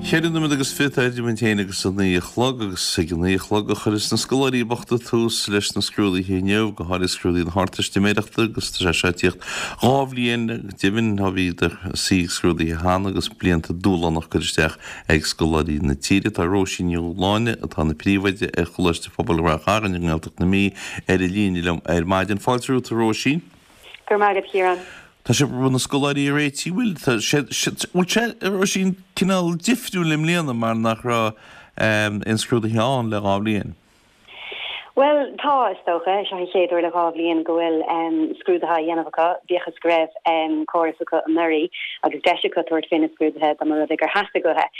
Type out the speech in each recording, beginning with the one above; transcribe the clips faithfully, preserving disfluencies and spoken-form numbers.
Ceithre nóiméad agus fiche atá idir muid féin agus a naoi a chlog agus ag a naoi a chlog a chuirfeas na scoláirí bochta tús leis na scrúduithe inniu, go háirithe scrúduithe na hArdteistiméireachta agus tá sé seo ag tíocht dhá bhliain go deimhin ó bhíodar ag suí scrúduithe cheana agus blianta dúshlánach curtha isteach ag scoláirí na tíre. Tá Róisín Ní Dhúshláine, atá ina príomhoide ar Choláiste Pobail Ráth Chairn i nGaeltacht na Mí, ar an líne liom ar maidin. Fáilte romhat, a Róisín. Go raibh maith agat, a Chiaráin. Tá sibh ag na scoláirí a réiteach, bhfuil tá sé bhfuil sé a Róisín cineál difriúil i mbliana mar nach raibh aon scrúduithe ann le dhá bhliain? Bhuel, tá, is dócha. Seo an chéad uair le dhá bhliain go bhfuil scrúduithe á dhéanamh acu, bíodh is go raibh córas acu anuraidh agus deis acu tabhairt faoi na scrúduithe dá mba rud é gur theastaigh uathu.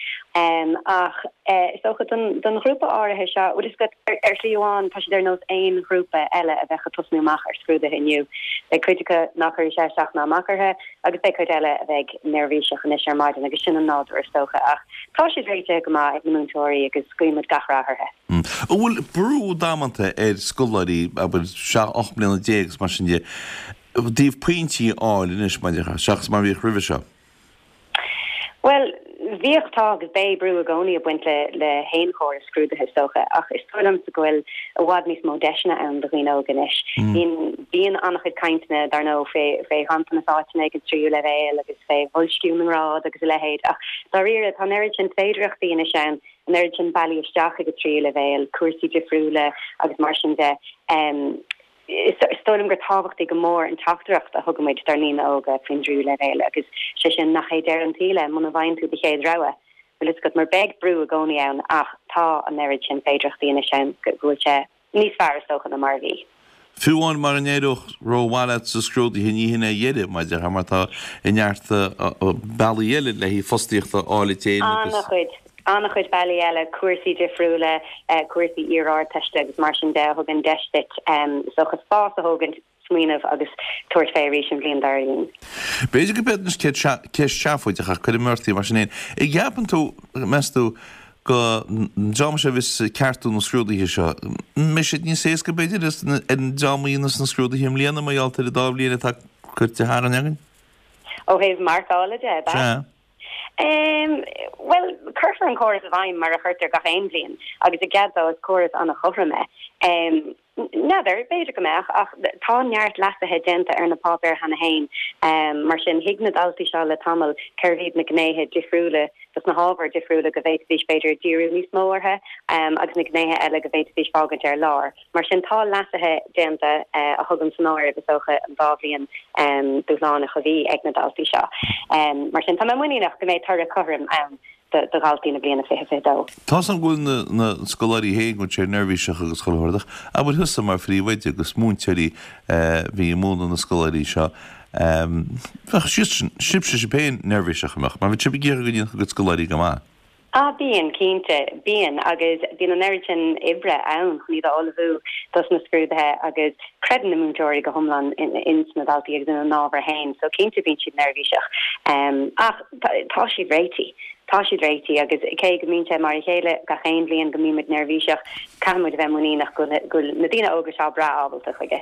Ach is dócha don don ghrúpa áirithe seo, bhfuil fhios agat, ar shlí amháin tá siad ar nós aon ghrúpa eile a bheadh ag tosnú amach ar scrúduithe inniu. Beidh cuid acu nach gcuirfidh sé isteach ná amach orthu agus beidh cuid eile a bheidh neirbhíseach anois ar maidin agus sin an nádúr is dócha. Ach tá siad réitithe go maith ag na múinteoirí agus guímid gach rath orthu. An bhfuil brú damanta ar scoláirí, abair, seacht, ocht mbliana déag agus mar sin de, i dtaobh pointí a fháil anois, mar seachas mar a bhíodh roimhe seo? Bhuel, bhíodh, tá agus beidh brú i gcónaí ag baint le le haon chóras scrúdaithe is dócha, ach is dóigh liomsa go bhfuil i bhfad níos mó deiseanna ann do dhaoine óga anois. Bíonn bíonn an-chuid cainteanna, dar ndóigh, fé fé ghanntanas áiteanna ag an tríú leibhéal agus fé bhoilsciú na ngrád agus a leithéid, ach dáiríre tá an oiread sin féidearthachtaí anois ann, an oiread sin bealaí isteach ag an tríú leibhéal, cúrsaí difriúla agus mar sin de. Is dóigh liom gur tábhachtaí go mór an teachtaireacht a thugann muid dár ndaoine óga faoin dtríú leibhéal agus sé sin nach é deireadh an tsaoil é muna bhfaigheann tú do chéad rogha. Bhfuil fhios agat, mar beidh brú i gcónaí ann ach tá an oiread sin féidearthachtaí anois ann go bhfuil sé níos fearr is dócha ná mar a bhí. Fiú amháin mara n-éireodh rómhaith leat sa scrúduithe ní hin é a dheireadh, mar a déarfá, mar tá neart bealaí eile le haghaidh fostaíocht a fháil duit féin agus. An-chuid, an-chuid bealaí eile, cúrsaí difriúla, cúrsaí iar-Ardteiste agus mar sin de a thugann deis duit is dócha spás a thógaint, smaoineamh agus tabhairt fé arís an bhliain dár gcionn. B'fhéidir go b'fhéidir ceist seafóideach ach cuirfidh mé ort í mar sin féin. An gceapann tú, meas tú, go an dream seo a bheas ag ceartú na scrúduithe seo, an mbeidh siad níos éasca b'fhéidir ar an dream a dhéanfas na scrúduithe i mbliana mar gheall ar an dá bhliain atá curtha tharainn againn? Ó thaobh marcála de, ab ea? Sea. Bhuel, cuirfear an córas i bhfeidhm mar a chuirtear gach aon bhliain agus i gcead dó is córas an-chothrom é. N'fheadar, b'fhéidir go mbeadh, ach tá neart leasuithe déanta ar na páipéir cheana féin. Mar sin, thuig na daltaí seo le tamall cérbh iad na gnéithe difriúla dos na hábhair difriúla go bhféadfaidís, b'fhéidir, díriú níos mó orthu agus na gnéithe eile go bhféadfaidís fágaint ar lár. Mar sin, tá leasuithe déanta a thugann san áireamh, is dócha, an dá bhliain dúshlánach a bhí ag na daltaí seo. Mar sin, tá mé muiníneach go mbeidh toradh cothrom ann. do dhaltaí na bliana fiche fiche dó. Tá's agam go bhfuil na scoláirí féin go bhfuil siad neirbhíseach agus chuile shórt ach abair thusa mar phríomhoide agus múinteoirí a bhí ag múineadh na scoláirí seo, bheadh sibhse sibh féin neirbhíseach, an mbeadh? Mar bheadh sibh ag iarraidh go ndéanfadh a gcuid scoláirí go maith. Ah bíonn, cinnte, bíonn agus bíonn an oiread sin oibre ann chun iad a ullmhú dos na scrúduithe agus creideann na múinteoirí go hiomlán ins na daltaí agus ina n-ábhar féin so cinnte bíonn siad neirbhíseach. Ach tá siad réitithe. Tá siad réitithe agus cé go mbíonn sé mar a chéile gach aon bhliain go mbíonn muid neirbhíseach, caithfidh muid a bheith muiníneach go bhfuil na daoine óga seo breá ábalta chuige.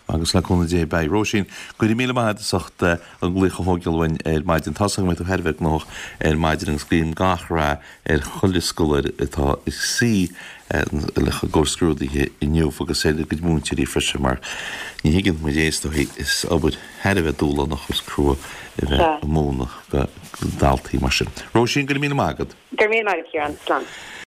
Agus le cúnamh Dé beidh. Róisín, go raibh míle maith agat as ucht an glaoch a thógáil uainn ar maidin. Tá's agam go mbeidh tú thar a bheith gnóthach ar maidin agus guím gach rath ar chuile scoláire atá ag suí le i gcomhair scrúdaithe inniu agus ar a gcuid múinteoirí freisin mar ní thuigeann muid é is dóigh, is obair thar a bheith dúshlánach agus crua a bheith ag múineadh do dhaltaí mar sin. Róisín, go raibh míle maith agat. Go raibh míle maith agat, Ciarán. Slán.